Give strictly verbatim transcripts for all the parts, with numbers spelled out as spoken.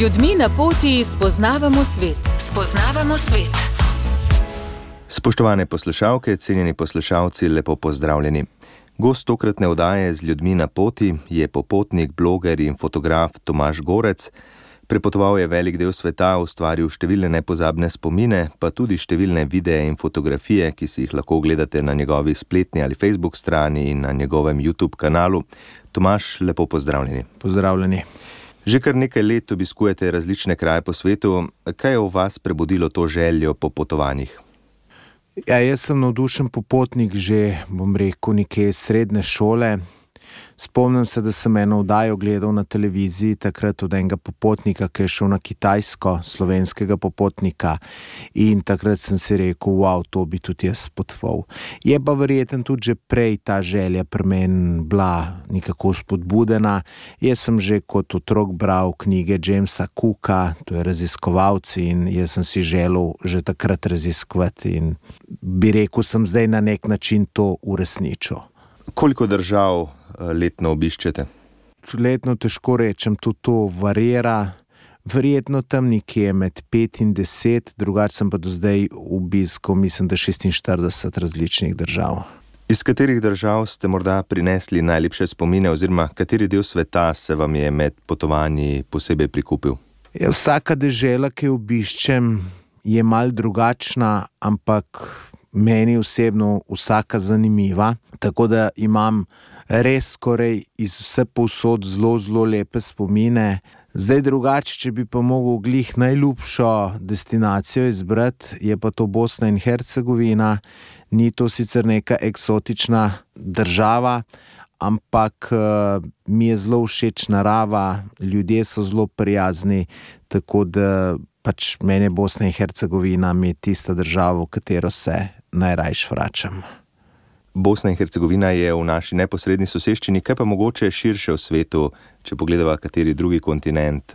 ljudmi na poti spoznavamo svet. Spoznavamo svet. Spoštovane poslušalke, cenjeni poslušalci, lepo pozdravljeni. Gost tokratne oddaje Z ljudmi na poti je popotnik, bloger in fotograf Tomaž Gorec. Prepotoval je velik del sveta, ustvaril številne nepozabne spomine, pa tudi številne videe in fotografije, ki si jih lahko ogledate na njegovi spletni ali Facebook strani in na njegovem YouTube kanalu. Tomaž, lepo pozdravljeni. Pozdravljeni. Že kar nekaj let obiskujete različne kraje po svetu. Kaj je v vas prebudilo to željo po potovanjih? Ja, jaz sem navdušen popotnik že, bom rekel, nekje srednje šole. Spomnim se, da sem eno oddajo gledal na televiziji, takrat od enega popotnika, ki je šel na Kitajsko, slovenskega popotnika, in takrat sem si rekel, wow, to bi tudi jaz potoval. Je pa verjetno tudi že prej ta želja pri meni bila nekako spodbudena. Jaz sem že kot otrok bral knjige Jamesa Cooka, to je raziskovalci, in jaz sem si želel že takrat raziskovati in bi rekel, sem zdaj na nek način to uresničil. Koliko držav letno obiščete? Letno težko rečem, tudi to varira. Verjetno tam nekje med pet in deset, drugače sem pa do zdaj obiskal, mislim, da šestinštirideset različnih držav. Iz katerih držav ste morda prinesli najlepše spomine oziroma kateri del sveta se vam je med potovanji posebej prikupil? Ja, vsaka dežela, ki jo obiščem, je malo drugačna, ampak meni osebno vsaka zanimiva, tako da imam res skoraj iz vse povsod zelo, zelo lepe spomine. Zdaj drugače, če bi pa mogel glih najljubšo destinacijo izbrati, je pa to Bosna in Hercegovina. Ni to sicer neka eksotična država, ampak uh, mi je zelo všeč narava, ljudje so zelo prijazni, tako da pač meni Bosna in Hercegovina mi je tista država, v katero se najrajš vračam. Bosna in Hercegovina je v naši neposredni soseščini, kaj pa mogoče širše v svetu, če pogledava kateri drugi kontinent,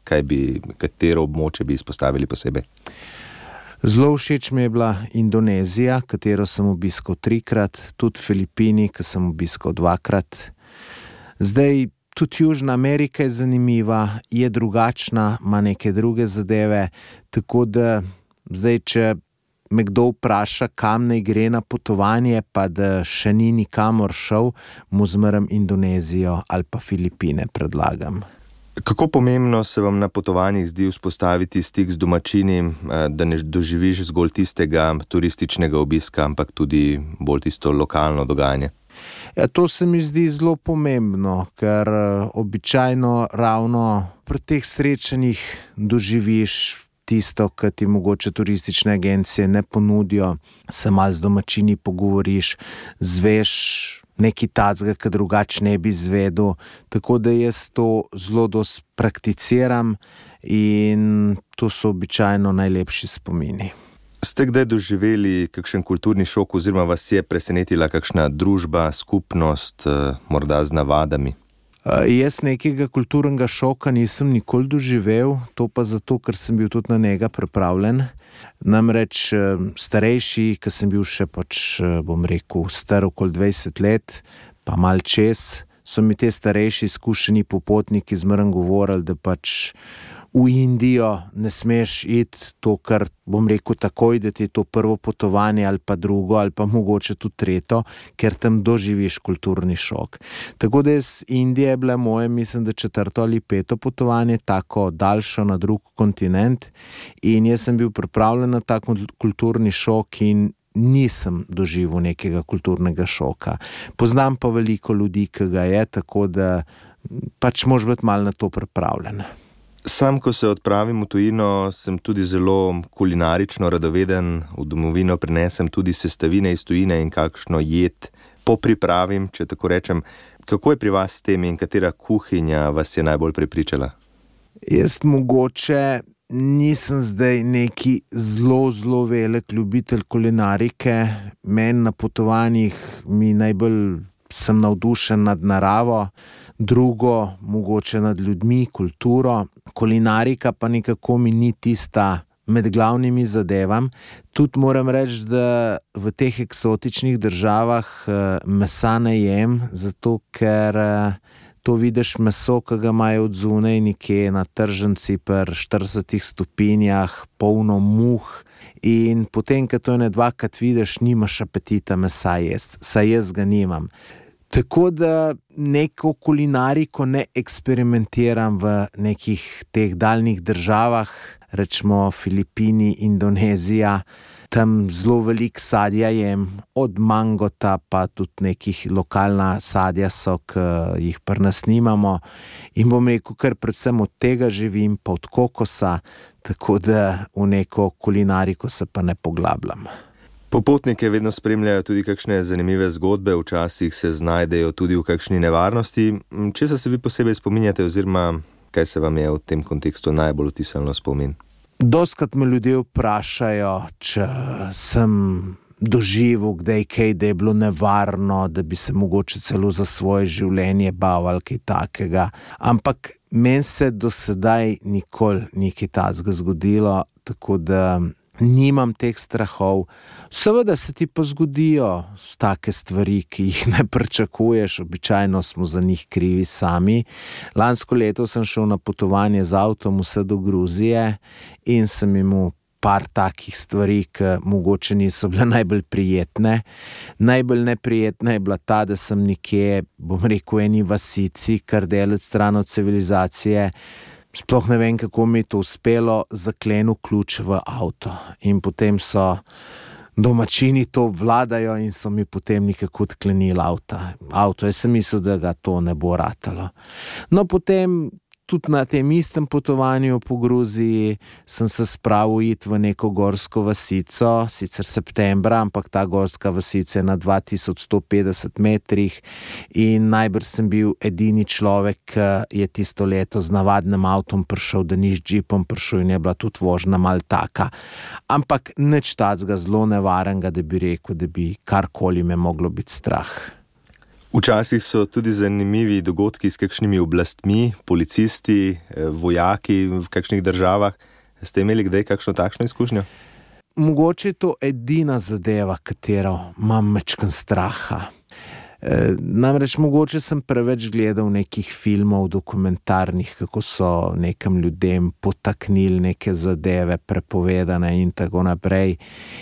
kaj bi, katero območje bi izpostavili posebej? Zelo všeč mi je bila Indonezija, katero sem obiskal trikrat, tudi Filipini, ki sem obiskal dvakrat. Zdaj, tudi Južna Amerika je zanimiva, je drugačna, ima neke druge zadeve, tako da zdaj, če me kdo vpraša, kam naj gre na potovanje, pa da še ni nikamor šel, mu zmeraj Indonezijo ali pa Filipine predlagam. Kako pomembno se vam na potovanjih zdi vzpostaviti stik z domačini, da ne doživiš zgolj tistega turističnega obiska, ampak tudi bolj tisto lokalno dogajanje? Ja, to se mi zdi zelo pomembno, ker običajno ravno pri teh srečanjih doživiš tisto, kar ti mogoče turistične agencije ne ponudijo, se malo z domačini pogovoriš, zveš nekaj tacga, kar drugače ne bi izvedel, tako da jaz to zelo dosti prakticiram in to so običajno najlepši spomini. Ste kdaj doživeli kakšen kulturni šok oziroma vas je presenetila kakšna družba, skupnost, morda z navadami? Uh, jaz nekega kulturnega šoka nisem nikoli doživel, to pa zato, ker sem bil tudi na njega pripravljen. Namreč uh, starejši, ki sem bil še pač, uh, bom rekel, star okoli dvajset let, pa mal čez, so mi te starejši izkušeni popotniki zmeraj govorili, da pač v Indijo ne smeš iti, to, kar bom rekel takoj, da ti je to prvo potovanje ali pa drugo ali pa mogoče tudi tretjo, ker tam doživiš kulturni šok. Tako da iz Indije je bila moje, mislim, da četrto ali peto potovanje, tako daljšo na drug kontinent, in jaz sem bil pripravljen na ta kulturni šok in nisem doživel nekega kulturnega šoka. Poznam pa veliko ljudi, ki ga je, tako da pač moraš biti malo na to pripravljen. Sam, ko se odpravim v tujino, sem tudi zelo kulinarično radoveden, v domovino prinesem tudi sestavine iz tujine in kakšno jed popripravim, če tako rečem. Kako je pri vas s tem in katera kuhinja vas je najbolj prepričala? Jaz mogoče nisem zdaj neki zelo, zelo velik ljubitelj kulinarike. Meni na potovanjih mi najbolj sem navdušen nad naravo, drugo mogoče nad ljudmi, kulturo. Kulinarika pa nekako mi ni tista med glavnimi zadevam. Tudi moram reči, da v teh eksotičnih državah mesa ne jem, zato ker to vidiš meso, ki ga imajo od zunaj nekje na tržnici pri štiridesetih stopinjah, polno muh, in potem, ko to ene dvakrat vidiš, nimaš apetita mesa jesti, saj jaz ga nimam. Tako da neko kulinariko ne eksperimentiram v nekih teh daljnih državah, rečemo Filipini, Indonezija. Tam zelo veliko sadja jem, od mangota pa tudi nekih lokalna sadja so, ki jih pri nas nimamo. In bom rekel, ker predvsem od tega živim, pa od kokosa, tako da v neko kulinariko se pa ne poglabljam. Popotnike vedno spremljajo tudi kakšne zanimive zgodbe, včasih se znajdejo tudi v kakšni nevarnosti. Česa se vi posebej spominjate oziroma kaj se vam je v tem kontekstu najbolj vtisnilo v spomin? Dostikrat me ljudje vprašajo, če sem doživel kdaj kaj, da je bilo nevarno, da bi se mogoče celo za svoje življenje bal ali kaj takega. Ampak meni se do sedaj nikoli ni kaj takega zgodilo, tako da nimam teh strahov. Seveda se ti pa zgodijo take stvari, ki jih ne pričakuješ, običajno smo za njih krivi sami. Lansko leto sem šel na potovanje z avtom vse do Gruzije in sem imel par takih stvari, ki mogoče niso bile najbolj prijetne. Najbolj neprijetna je bila ta, da sem nekje, bom rekel, eni vasici, kar daleč stran od civilizacije, sploh ne vem, kako mi je to uspelo, zaklenil ključ v avto. In potem so domačini to obvladajo in so mi potem nekako odklenili avta. avto. Jaz sem mislil, da ga to ne bo ratalo. No, potem tudi na tem istem potovanju po Gruziji sem se spravil iti v neko gorsko vasico, sicer septembra, ampak ta gorska vasica je na dva tisoč sto petdeset metrih in najbrž sem bil edini človek, ki je tisto leto z navadnim avtom prišel, da ni z džipom prišel, in je bila tudi vožnja malo taka. Ampak nič takega zelo nevarnega, da bi rekel, da bi karkoli me moglo biti strah. Včasih so tudi zanimivi dogodki s kakšnimi oblastmi, policisti, vojaki v kakšnih državah. Ste imeli kdaj kakšno takšno izkušnjo? Mogoče je to edina zadeva, katero imam majčken straha. E, namreč mogoče sem preveč gledal nekih filmov dokumentarnih, kako so nekim ljudem potaknili neke zadeve prepovedane in tako naprej.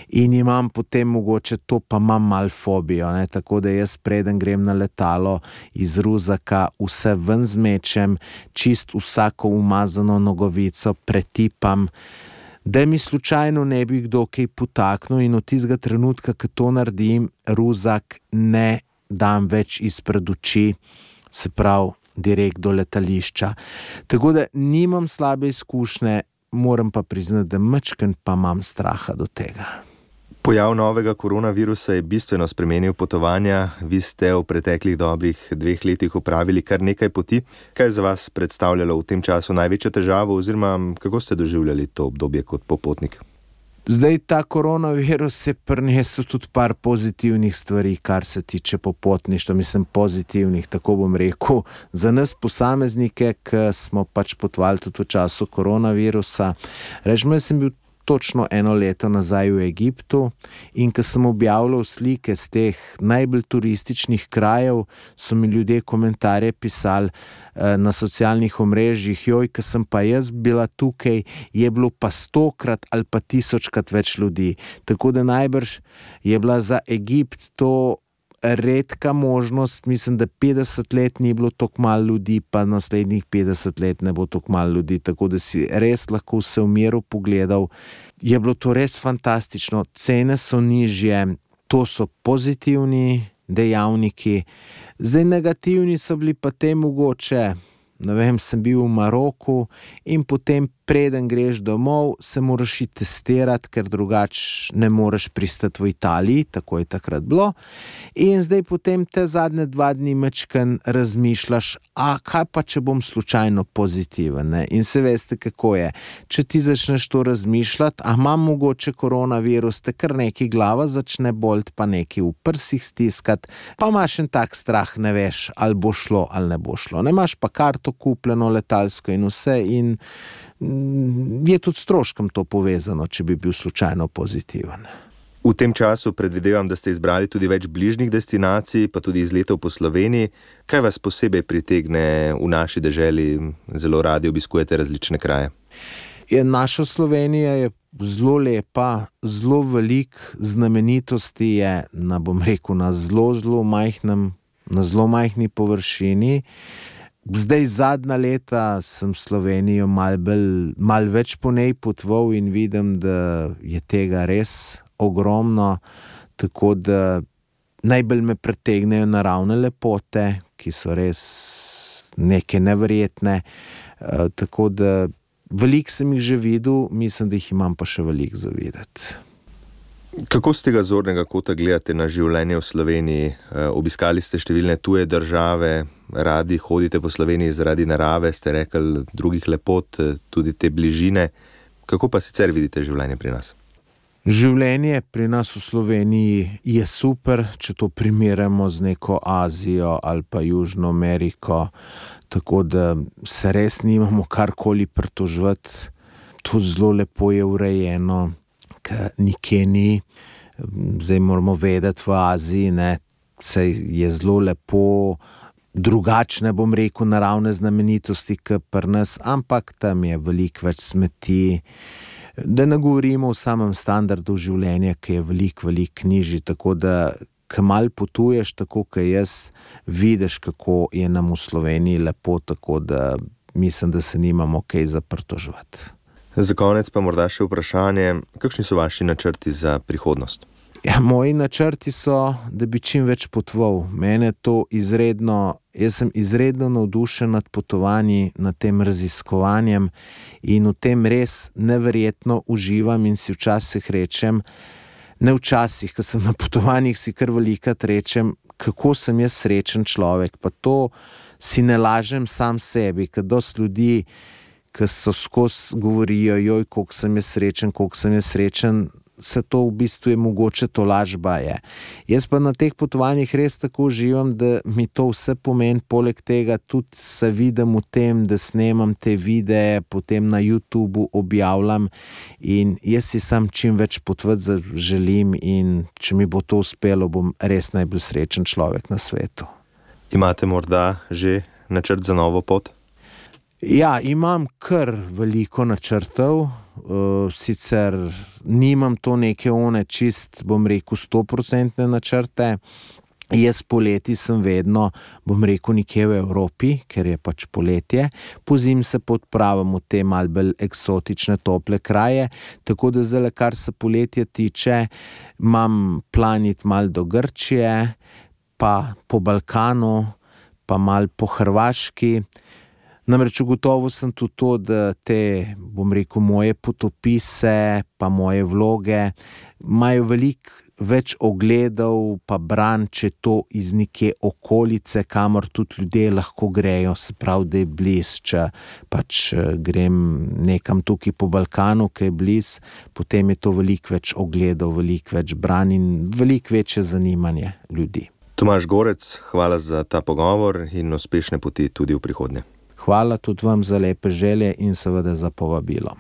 In imam potem mogoče to, pa imam malo fobijo, ne? Tako da jaz preden grem na letalo iz ruzaka vse ven zmečem, čist vsako umazano nogavico pretipam, da mi slučajno ne bi kdo kaj potaknil, in od tistega trenutka, ko to naredim, ruzak ne dam več izpred oči, se pravi direkt do letališča. Tako da nimam slabe izkušnje, moram pa priznati, da majčken pa imam straha do tega. Pojav novega koronavirusa je bistveno spremenil potovanja. Vi ste v preteklih dobrih dveh letih opravili kar nekaj poti. Kaj je za vas predstavljalo v tem času največjo težavo oziroma kako ste doživljali to obdobje kot popotnik? Zdaj, ta koronavirus je prinesel tudi par pozitivnih stvari, kar se tiče popotništva, mislim pozitivnih, tako bom rekel, za nas posameznike, ki smo pač potovali tudi v času koronavirusa. Rečemo, jaz sem bil točno eno leto nazaj v Egiptu in ko sem objavljal slike z teh najbolj turističnih krajev, so mi ljudje komentarje pisali eh, na socialnih omrežjih, joj, ko sem pa jaz bila tukaj, je bilo pa stokrat ali pa tisočkrat več ljudi. Tako da najbrž je bila za Egipt to redka možnost, mislim, da petdeset let ni bilo toliko malo ljudi, pa naslednjih petdeset let ne bo toliko malo ljudi, tako da si res lahko vse v miru pogledal. Je bilo to res fantastično, cene so nižje, to so pozitivni dejavniki. Zdaj, negativni so bili pa te mogoče, ne vem, sem bil v Maroku in potem preden greš domov, se moraš iti testirati, ker drugače ne moreš pristati v Italiji, tako je takrat bilo. In zdaj potem te zadnje dva dni majčken razmišljaš, a kaj pa, če bom slučajno pozitiven, ne? In se veste, kako je. Če ti začneš to razmišljati, a imam mogoče koronavirus, te kar neki glava začne bolt, pa neki v prsih stiskati, pa imaš en tak strah, ne veš, ali bo šlo, ali ne bo šlo. Ne imaš pa karto kupljeno letalsko in vse, in je tudi s stroškom to povezano, če bi bil slučajno pozitiven. V tem času predvidevam, da ste izbrali tudi več bližnjih destinacij, pa tudi izletov po Sloveniji. Kaj vas posebej pritegne v naši deželi? Zelo radi obiskujete različne kraje. Je, naša Slovenija je zelo lepa, zelo velik znamenitosti je na, bom rekel, na zelo, zelo majhnem, na zelo majhni površini. Zdaj zadnja leta sem Slovenijo mal, bolj, mal več po njej potoval in vidim, da je tega res ogromno, tako da najbolj me pritegnejo naravne lepote, ki so res neke neverjetne, e, tako da veliko sem jih že videl, mislim, da jih imam pa še veliko za videti. Kako z tega zornega kota gledate na življenje v Sloveniji? E, obiskali ste številne tuje države, radi hodite po Sloveniji zaradi narave, ste rekli drugih lepot, tudi te bližine. Kako pa sicer vidite življenje pri nas? Življenje pri nas v Sloveniji je super, če to primerjamo z neko Azijo ali pa Južno Ameriko, tako da se res nimamo karkoli pritoževati. To zelo lepo je urejeno, ker nikjer ni. Zdaj moramo vedeti, v Aziji ne, se je zelo lepo, drugačne, bom rekel, naravne znamenitosti, kot pri nas, ampak tam je veliko več smeti. Da ne govorimo o samem standardu življenja, ki je veliko, veliko nižji, tako da, ko malo potuješ, tako kot jaz, vidiš, kako je nam v Sloveniji lepo, tako da mislim, da se nimamo kaj za pritoževati. Za konec pa morda še vprašanje, kakšni so vaši načrti za prihodnost? Ja, moji načrti so, da bi čim več potoval. Mene to izredno, jaz sem izredno navdušen nad potovanji, nad tem raziskovanjem in v tem res neverjetno uživam in si včasih rečem, ne včasih, ko sem na potovanjih, si kar velikokrat rečem, kako sem jaz srečen človek, pa to si ne lažem sam sebi, ker dosti ljudi, ki so skozi govorijo, joj, koliko sem jaz srečen, koliko sem jaz srečen, se to v bistvu je mogoče to lažba je. Jaz pa na teh potovanjih res tako uživam, da mi to vse pomeni, poleg tega tudi se vidim v tem, da snemam te videe, potem na YouTubu objavljam in jaz si sam čim več potovati želim in če mi bo to uspelo, bom res najbolj srečen človek na svetu. Imate morda že načrt za novo pot? Ja, imam kar veliko načrtov, uh, sicer nimam to neke one čist, bom rekel, stoprocentne načrte. Jaz poleti sem vedno, bom rekel, nekje v Evropi, ker je pač poletje, pozimi se podpravim v te malo bolj eksotične tople kraje, tako da zdaj, kar se poletja tiče, imam planit malo do Grčije, pa po Balkanu, pa malo po Hrvaški. Namreč ugotovil sem tudi to, da te, bom rekel, moje potopise, pa moje vloge, imajo veliko več ogledov, pa bran, če to iz neke okolice, kamor tudi ljudje lahko grejo, se pravi, da je bliz, če pač grem nekam tukaj po Balkanu, ki je bliz, potem je to veliko več ogledov, veliko več bran in veliko večje zanimanje ljudi. Tomaž Gorec, hvala za ta pogovor in uspešne poti tudi v prihodnje. Hvala tudi vam za lepe želje in seveda za povabilo.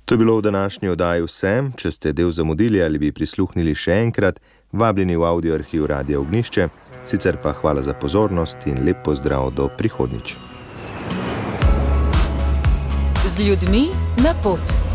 To je bilo v današnji oddaji vse. Če ste del zamudili ali bi prisluhnili še enkrat, vabljeni v audio arhiv Radia Ognjišče. Sicer pa hvala za pozornost in lep pozdrav do prihodnjič. Z ljudmi na pot.